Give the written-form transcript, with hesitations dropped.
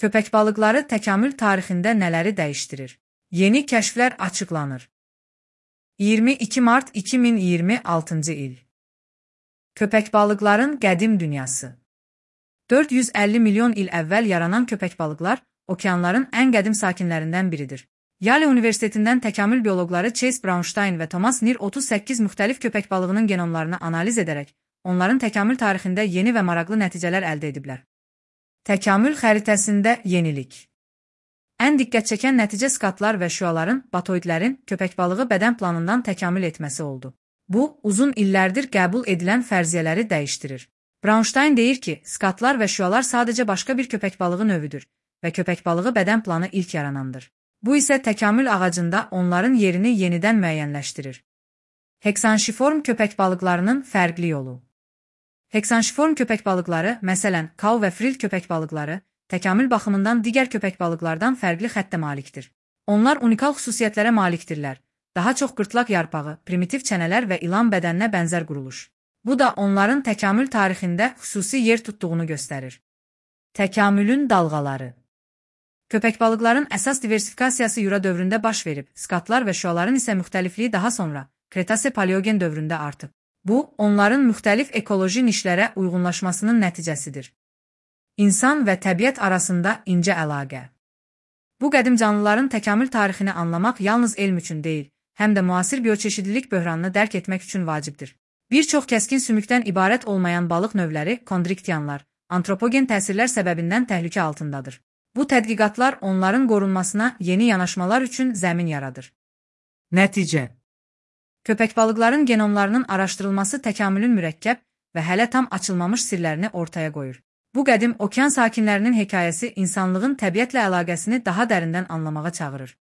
Köpək balıqları təkamül tarixində nələri dəyişdirir? Yeni kəşflər açıqlanır. 22 mart 2026-cı il. Köpək balıqların qədim dünyası. 450 milyon il əvvəl yaranan köpək balıqlar okeanların ən qədim sakinlərindən biridir. Yale Universitetindən təkamül bioloqları Chase Braunstein və Thomas Neer 38 müxtəlif köpək balığının genomlarını analiz edərək, onların təkamül tarixində yeni və maraqlı nəticələr əldə ediblər. Təkamül xəritəsində yenilik. Ən diqqət çəkən nəticə skatlar və şüaların, batoidlərin köpək balığı bədən planından təkamül etməsi oldu. Bu, uzun illərdir qəbul edilən fərziyyələri dəyişdirir. Braunstein deyir ki, skatlar və şüalar sadəcə başqa bir köpək balığı növüdür və köpək balığı bədən planı ilk yaranandır. Bu isə təkamül ağacında onların yerini yenidən müəyyənləşdirir. Heksanşiform köpək balıqlarının fərqli yolu. Heksanşiform köpək balıqları, məsələn, kau və fril köpək balıqları, təkamül baxımından digər köpək balıqlardan fərqli xəttə malikdir. Onlar unikal xüsusiyyətlərə malikdirlər. Daha çox qırtlaq yarpağı, primitiv çənələr və ilan bədəninə bənzər quruluş. Bu da onların təkamül tarixində xüsusi yer tutduğunu göstərir. Təkamülün dalğaları. Köpək balıqların əsas diversifikasiyası Jura dövründə baş verib, skatlar və şüaların isə müxtəlifliyi daha sonra Kretase-Paleogen dövründə artıb. Bu, onların müxtəlif ekoloji nişlərə uyğunlaşmasının nəticəsidir. İnsan və təbiət arasında incə əlaqə. Bu qədim canlıların təkamül tarixini anlamaq yalnız elm üçün deyil, həm də müasir bioçeşidlilik böhranını dərk etmək üçün vacibdir. Bir çox kəskin sümükdən ibarət olmayan balıq növləri, kondriktiyanlar, antropogen təsirlər səbəbindən təhlükə altındadır. Bu tədqiqatlar onların qorunmasına yeni yanaşmalar üçün zəmin yaradır. Nəticə. Köpək balıqların genomlarının araşdırılması təkamülün mürəkkəb və hələ tam açılmamış sirlərini ortaya qoyur. Bu qədim okean sakinlərinin hekayəsi insanlığın təbiətlə əlaqəsini daha dərindən anlamağa çağırır.